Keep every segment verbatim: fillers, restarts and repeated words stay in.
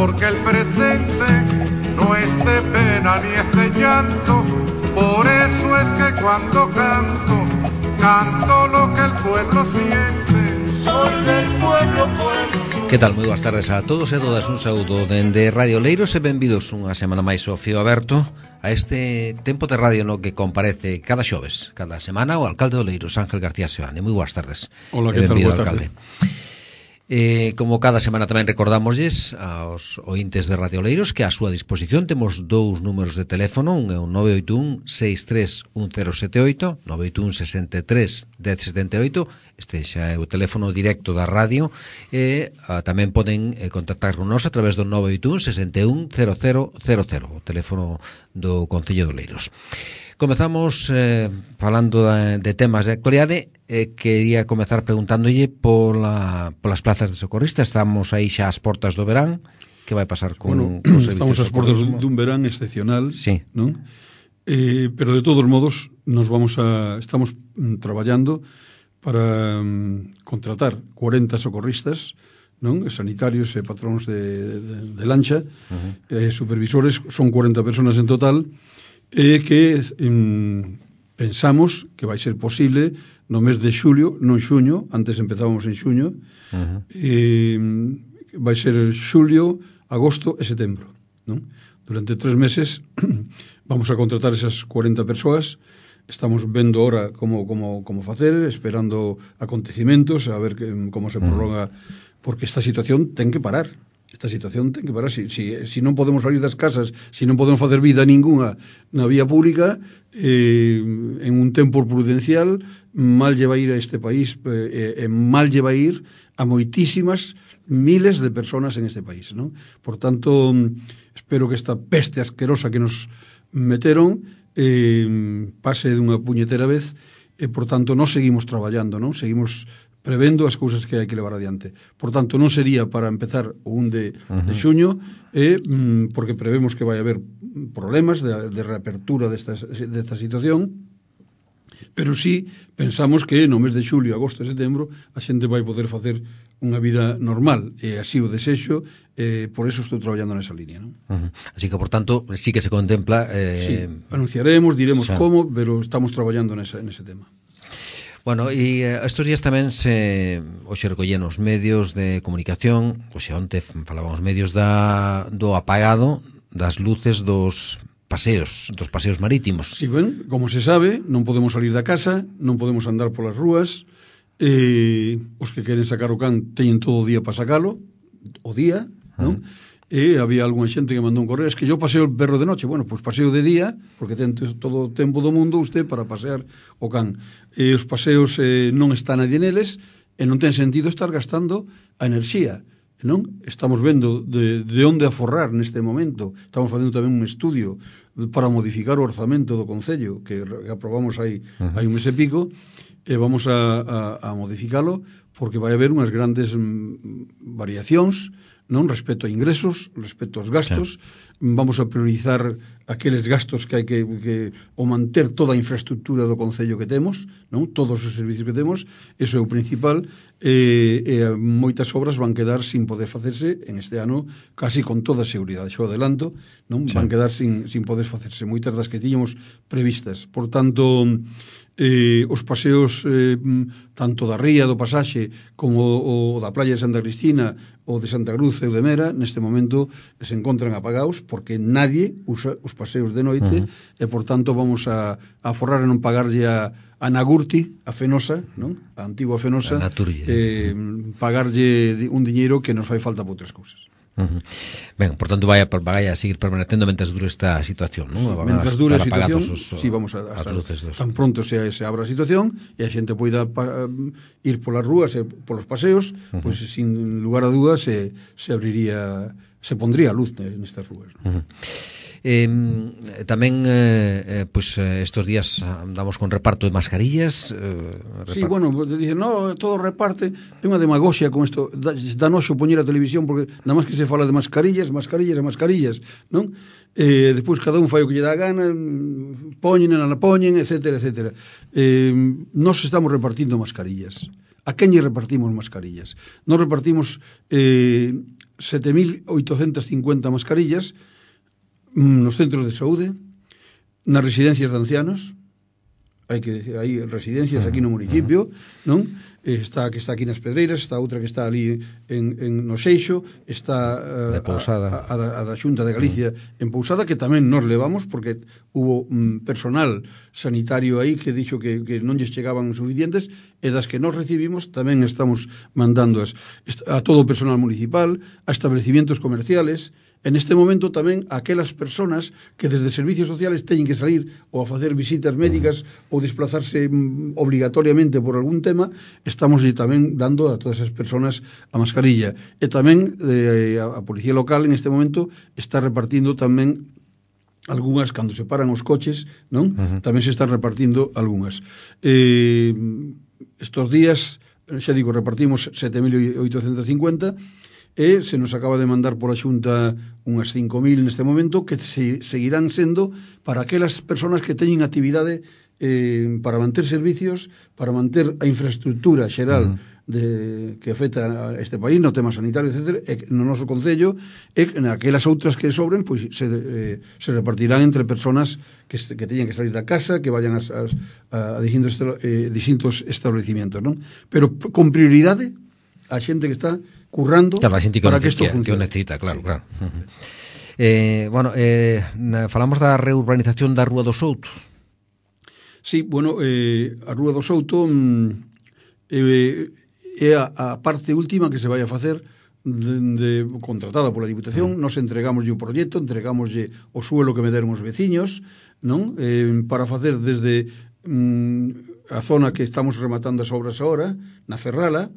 porque el presente no es de pena ni es de llanto. Por eso es que cuando canto, canto lo que el pueblo siente. Soy del pueblo, pueblo. Que tal? Moi boas tardes a todos e a todas. Un saúdo dende Radio Leiros e benvidos unha semana máis ao Fío Aberto, a este tempo de radio no que comparece cada xoves, cada semana, o alcalde do Leiros, Ángel García Seoane. Moi boas tardes. Hola, que tal? Boa tarde. Eh, como cada semana tamén recordamosles aos ointes de Radio Leiros que a súa disposición temos dous números de teléfono. Un é o nove oito un, seis tres un cero sete oito, nove oito un, sesenta e tres, dez setenta e oito. Este xa é o teléfono directo da radio. E a, tamén poden eh, contactar con nós a través do nove oito un, sesenta e un, cero cero cero cero, o teléfono do Concello de Leiros. Comezamos eh, falando de, de temas de actualidade. Eh, quería comezar preguntándolle pola, polas plazas de socorristas. Estamos aí xa ás portas do verán. Que vai pasar con, bueno, con os servicios estamos ás portas socorrismo? dun verán excepcional, sí. non? Eh, pero de todos modos nos vamos a estamos mm, traballando para mm, contratar cuarenta socorristas, non? Sanitarios e patróns de, de, de lancha, uh-huh. eh, supervisores, son cuarenta personas en total, e eh, que mm, pensamos que vai ser posible no mes de xulio, non xuño, antes empezábamos en xuño, uh-huh. e vai ser xulio, agosto e setembro, non? Durante tres meses vamos a contratar esas cuarenta persoas. Estamos vendo ahora como, como, como facer, esperando acontecimentos, a ver que, como se prolonga, porque esta situación ten que parar. Esta situación ten que parar. Si, si, si non podemos salir das casas, si non podemos facer vida ninguna na vía pública, eh, en un tempo prudencial, mal lle vai ir a este país, eh, eh, mal lle vai ir a moitísimas miles de personas en este país, non? Por tanto, espero que esta peste asquerosa que nos meteron eh, pase dunha puñetera vez e, por tanto, non seguimos traballando, non? Seguimos prevendo as cousas que hai que levar adiante. Por tanto, non sería para empezar o un de, uh-huh. de xuño, eh, porque prevemos que vai haber problemas de, de reapertura desta, desta situación, pero sí pensamos que no mes de xulio, agosto e setembro a xente vai poder facer unha vida normal, e así o desexo, eh, por eso estou traballando nesa línea, non? Uh-huh. Así que, por tanto, sí que se contempla... Eh... Sí, anunciaremos, diremos xa. como, pero estamos traballando nesa, nese tema. Bueno, e eh, estos días tamén se hoxe recollen os medios de comunicación, hoxe onte falaban os medios da, do apagado das luces dos paseos, dos paseos marítimos. Sí, ben, como se sabe, non podemos salir da casa, non podemos andar polas rúas, e os que queren sacar o can teñen todo o día para sacalo, o día, non? Uh-huh. E había algunha xente que mandou un correo, es que yo paseo el perro de noche. Bueno, pois pues paseo de día, porque ten todo o tempo do mundo usted para pasear o can. E os paseos eh, non está nadie neles, e non ten sentido estar gastando a enerxía, non? Estamos vendo de, de onde aforrar neste momento. Estamos facendo tamén un estudio para modificar o orzamento do Concello, que aprobamos aí, uh-huh. hai un mes e pico, e vamos a, a, a modificalo, porque vai haber unhas grandes mm, variacións, non, respecto a ingresos, respecto aos gastos. Sí. Vamos a priorizar aqueles gastos que hai que, que o manter toda a infraestructura do Concello que temos, non, todos os servicios que temos, eso é o principal, e, e moitas obras van quedar sin poder facerse en este ano, casi con toda a seguridade, xo adelanto, non, sí. van quedar sin, sin poder facerse, moitas das que tiñamos previstas. Por tanto, eh, os paseos eh, tanto da ría do Pasaxe como o, o da playa de Santa Cristina ou de Santa Cruz ou de Mera, neste momento se encontran apagados porque nadie usa os paseos de noite, uh-huh. e por tanto vamos a, a forrar e non pagarlle a, a Nagurti, a Fenosa, non? A antigua Fenosa, eh, pagarlle un diñeiro que nos fai falta para outras cousas. Uh-huh. Ben, por tanto vai a, vai a seguir permanecendo mentre dure esta situación, non? Sí, mentre dure a situación, os, sí, vamos a, a, a luces, tan pronto se, se abra a situación e a xente poida pa, ir polas rúas e polos paseos, uh-huh. pois pues, sin lugar a dudas se, se abriría, se pondría luz nestas rúas, non? Uh-huh. Eh, tamén eh, pues, estos días andamos con reparto de mascarillas. eh, repart... Sí, bueno, dicen, no, todo reparte. É unha demagoxia con isto, da, da noxo poñer a televisión porque nada máis que se fala de mascarillas, mascarillas e mascarillas, non? Eh, despois cada un fai o que lle dá a gana, poñen, non a poñen, etcétera, etcétera. Eh, nos estamos repartindo mascarillas. A quen lle repartimos mascarillas? Nos repartimos eh, sete mil oitocentas cincuenta mascarillas mm, nos centros de saúde, nas residencias de ancianos. Hai que decir, hai residencias aquí no municipio, non? Está que está aquí nas Pedreiras, está outra que está ali en, en no Seixo, está uh, de Pousada. A, a, a da Xunta de Galicia en Pousada, que tamén nos levamos porque hubo um, personal sanitario aí que dixo que, que non lles chegaban suficientes, e das que nos recibimos tamén estamos mandando as, a todo o personal municipal, a establecimientos comerciales. En este momento tamén aquelas personas que desde servicios sociales teñen que salir ou a facer visitas médicas ou desplazarse mm, obligatoriamente por algún tema, estamos tamén dando a todas esas personas a mascarilla. E tamén eh, a Policía Local en este momento está repartindo tamén algunhas, cando se paran os coches, non? Uh-huh. Tamén se están repartindo algunhas. Eh, estos días, xa digo, repartimos sete mil oitocentas cincuenta, e se nos acaba de mandar por a Xunta unhas cinco mil neste momento, que se, seguirán sendo para aquelas persoas que teñen actividade eh, para manter servicios, para manter a infraestructura xeral uh-huh. de, que afecta a este país no tema sanitario, etcétera, e no noso concello, e naquelas outras que sobren, pois se, eh, se repartirán entre persoas que, que teñen que salir da casa, que vayan a, a, a distintos, eh, distintos establecimientos, non? Pero con prioridade a xente que está currando, claro, a xente que para que isto funcione. Que o necesita, claro, claro. Uh-huh. Eh, bueno, eh, falamos da reurbanización da Rúa do Souto. Sí, bueno, eh, a Rúa do Souto mm, eh, é a, a parte última que se vai a facer de, de, contratada pola Diputación. Uh-huh. Nos entregamos o proxecto, entregamoslle o suelo que me deron os veciños, non? Eh, para facer desde mm, a zona que estamos rematando as obras agora, na Ferrala,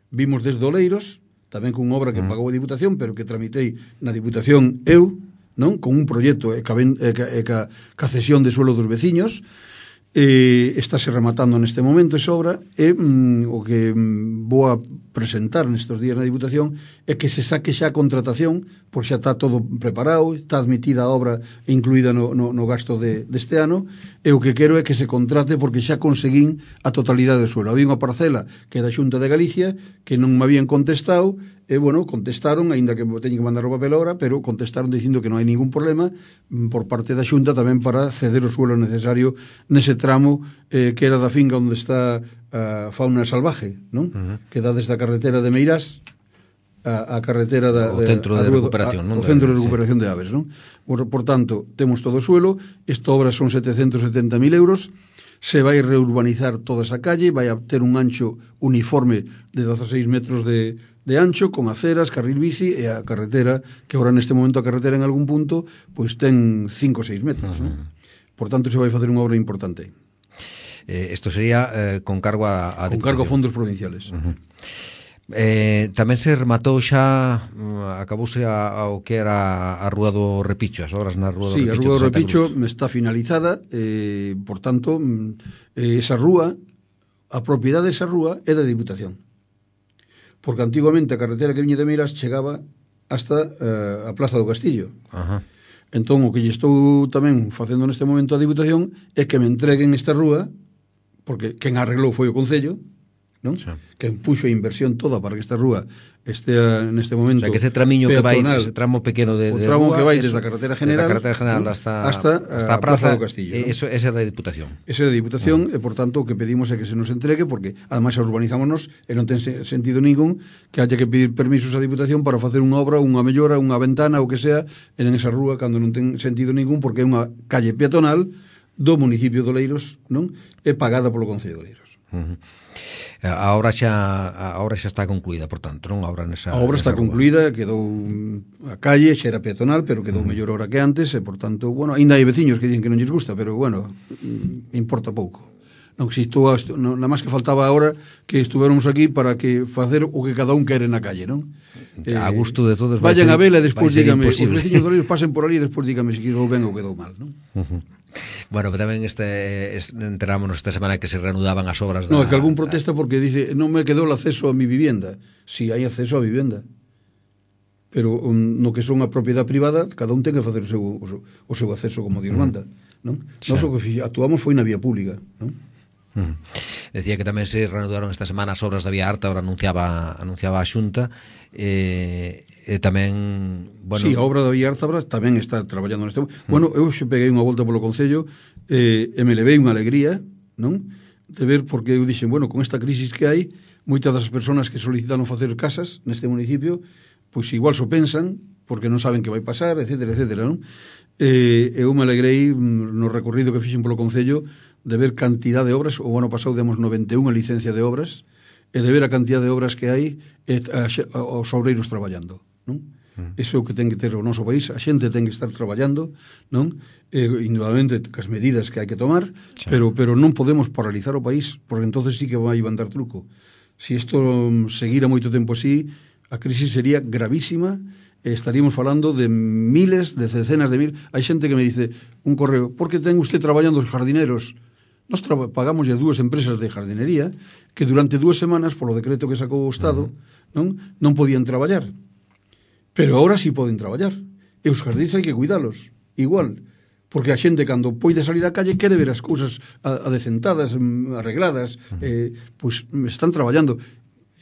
vimos desde Oleiros, tamén con obra que pagou a Diputación, pero que tramitei na Diputación eu, non? Con un proxecto e ca, e ca, e ca, ca cesión de suelo dos veciños. Eh, estáse rematando neste momento esa obra, e mm, o que mm, vou a presentar nestes días na Diputación é que se saque xa a contratación, porque xa está todo preparado, está admitida a obra incluída no, no, no gasto de, deste ano, e o que quero é que se contrate, porque xa conseguín a totalidade do suelo. Había unha parcela que é da Xunta de Galicia que non me habían contestado, e, bueno, contestaron, aínda que teñen que mandar o papel ahora, pero contestaron dicindo que non hai ningún problema por parte da Xunta tamén para ceder o suelo necesario nese tramo eh, que era da finca onde está a fauna salvaje, non? Uh-huh. Que dá desde a carretera de Meirás a, a carretera da, o centro de, de recuperación, a, non? O centro de recuperación sí. de aves, non? Por, por tanto, temos todo o suelo, esta obra son setecentos setenta mil euros, se vai reurbanizar toda esa calle, vai a ter un ancho uniforme de dezaseis metros de, de ancho, con aceras, carril bici, e a carretera, que agora neste momento a carretera en algún punto, pois ten cinco ou seis metros, uh-huh. non? Por tanto, se vai facer unha obra importante. Eh, esto sería eh, con cargo a, a con cargo a fondos provinciales. Uh-huh. Eh, tamén se rematou xa, acabouse a, ao que era a Rúa do Repicho, as obras na Rúa do sí, Repicho. Sí, a Rúa do Repicho está finalizada, eh, por tanto, eh, esa rúa, a propiedade desa rúa é da Diputación. Porque antiguamente a carretera que viñe de Meiras chegaba hasta eh, a Plaza do Castillo. Ajá. Entón, o que lle estou tamén facendo neste momento a Diputación é que me entreguen esta rúa, porque quen arreglou foi o Concello, non? Sí. Que puxo a inversión toda para que esta rúa estea neste momento. O sea, que ese tramiño peatonal, que vai, ese tramo pequeno de, o de tramo rúa, que vai eso, desde a carretera general, desde a carretera general hasta, hasta, hasta a Plaza, Plaza do Castillo. Eh, eso, esa é da Diputación. Esa é da Diputación, uh-huh. E por tanto o que pedimos é que se nos entregue, porque ademais urbanizámonos e non ten sentido ningún que haya que pedir permisos á Diputación para facer unha obra, unha mellora, unha ventana ou que sea en esa rúa, cando non ten sentido ningún, porque é unha calle peatonal do municipio de Oleiros, non? É pagada polo Concello de Oleiros. Uh-huh. A obra xa a obra xa está concluída, por tanto, non? A obra nesa A obra nesa está rúa. concluída, quedou a calle, xa era peatonal, pero quedou uh-huh. mellor hora que antes, e por tanto, bueno, aínda hai veciños que dicen que non lles gusta, pero bueno, importa pouco. Non existou, nada máis que faltaba agora que estuvéramos aquí para que facer o que cada un quere na calle, non? A gusto de todos. Vayan a vela e despois dígame, os veciños de Oleiros pasen por ali e despois dígame se quedou ben ou quedou mal, non? Uh-huh. Bueno, pero tamén este, este enterámonos esta semana que se reanudaban as obras da... No, é que algún protesta porque dice non me quedou o acceso a mi vivienda. Si, sí, hai acceso a vivenda. Pero um, no que son a propiedade privada, cada un ten que facer o seu, o seu, o seu acceso como Dios manda, non? Nós o que actuamos foi na vía pública, non? Uh-huh. Decía que tamén se reanudaron esta semana as obras da vía Arta, ahora anunciaba, anunciaba a Xunta, eh, e tamén, bueno... Sí, a obra da Vía Ártabra tamén está traballando neste momento. Bueno, eu xe peguei unha volta polo Concello eh, e me levei unha alegría, non? De ver, porque eu dixen, bueno, con esta crisis que hai, moitas das persoas que solicitaron facer casas neste municipio, pois igual so pensan, porque non saben que vai pasar, etcétera, etcétera, non? Eh, eu me alegrei no recorrido que fixen polo Concello de ver cantidad de obras. O ano pasado demos noventa e unha licencia de obras, e de ver a cantidad de obras que hai e a, a, os obreiros traballando, non? Mm. Iso é o que ten que ter o noso país, a xente ten que estar traballando, non? Eh, indudablemente cas medidas que hai que tomar, sí. pero pero non podemos paralizar o país, porque entonces sí que vai a dar truco. Si isto seguira moito tempo así, a crisis sería gravísima, e estaríamos falando de miles, de decenas de mil. Hai xente que me dice un correo, por que ten usted traballando os jardineros? Nos pagamos as dúas empresas de jardinería que durante dúas semanas, polo decreto que sacou o Estado, uh-huh. non non podían traballar. Pero agora sí poden traballar. E os jardíns hai que cuidalos, igual. Porque a xente, cando poide salir á calle, quere ver as cousas adecentadas, arregladas, uh-huh. eh, pois están traballando.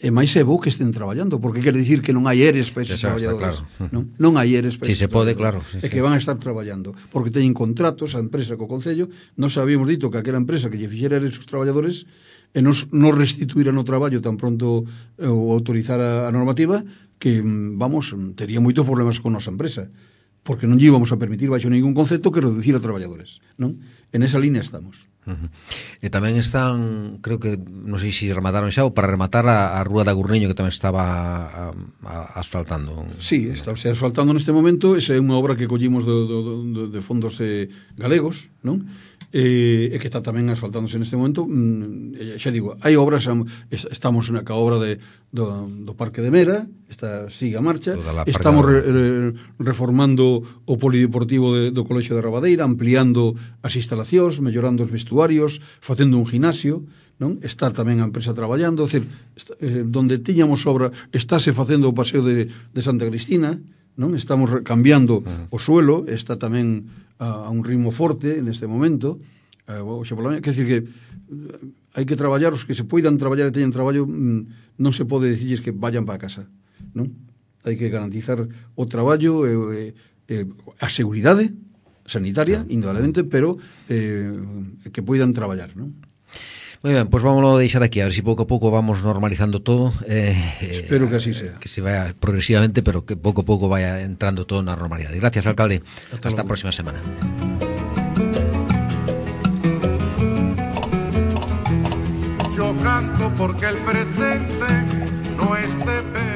E máis é bo que estén traballando, porque quere dicir que non hai eres para eses traballadores. Claro. Non, non hai eres para si eses se pode, claro. Sí, e que van a estar traballando, porque teñen contratos a empresa co Concello. Nos habíamos dito que aquela empresa que lle fixera eres os traballadores e nos, nos restituíran o traballo tan pronto eh, ou autorizar a, a normativa, que, vamos, tería moitos problemas con nosa empresa, porque non lle íbamos a permitir baixo ningún concepto que reducir a traballadores, non? En esa línea estamos. Uh-huh. E tamén están, creo que, non sei se remataron xa, ou para rematar a, a Rúa da Gurniño, que tamén estaba a, a, asfaltando. Sí, está se asfaltando neste momento. Esa é unha obra que collimos do, do, do, de fondos eh, galegos, non? E, e que está tamén asfaltándose neste momento. Mm, xa digo, hai obras, estamos na ca obra de, do, do Parque de Mera, está, sigue a marcha, estamos re, re, reformando o polideportivo de, do Colexio de Rabadeira, ampliando as instalacións, mellorando os vestuarios, facendo un gimnasio, non? Está tamén a empresa traballando, é dicir, está, eh, donde tiñamos obra, estáse facendo o paseo de, de Santa Cristina, non? Estamos cambiando uh-huh. o suelo, está tamén a, a un ritmo forte neste momento. Eh, oxe, pola mañá, quer dicir que hai que traballar, os que se poidan traballar e teñen traballo, mm, non se pode dicirles que vayan para casa, non? Hai que garantizar o traballo e, e, e a seguridade sanitaria, sí. indudablemente, pero eh, que poidan traballar, non? Moi ben, pois pues vámonos a deixar aquí, a ver se si pouco a pouco vamos normalizando todo. Eh, Espero que así sea. Que se vaya progresivamente, pero que pouco a pouco vaya entrando todo na normalidade. Gracias, alcalde. Hasta, Hasta a próxima semana. Yo canto porque el presente no esté pena.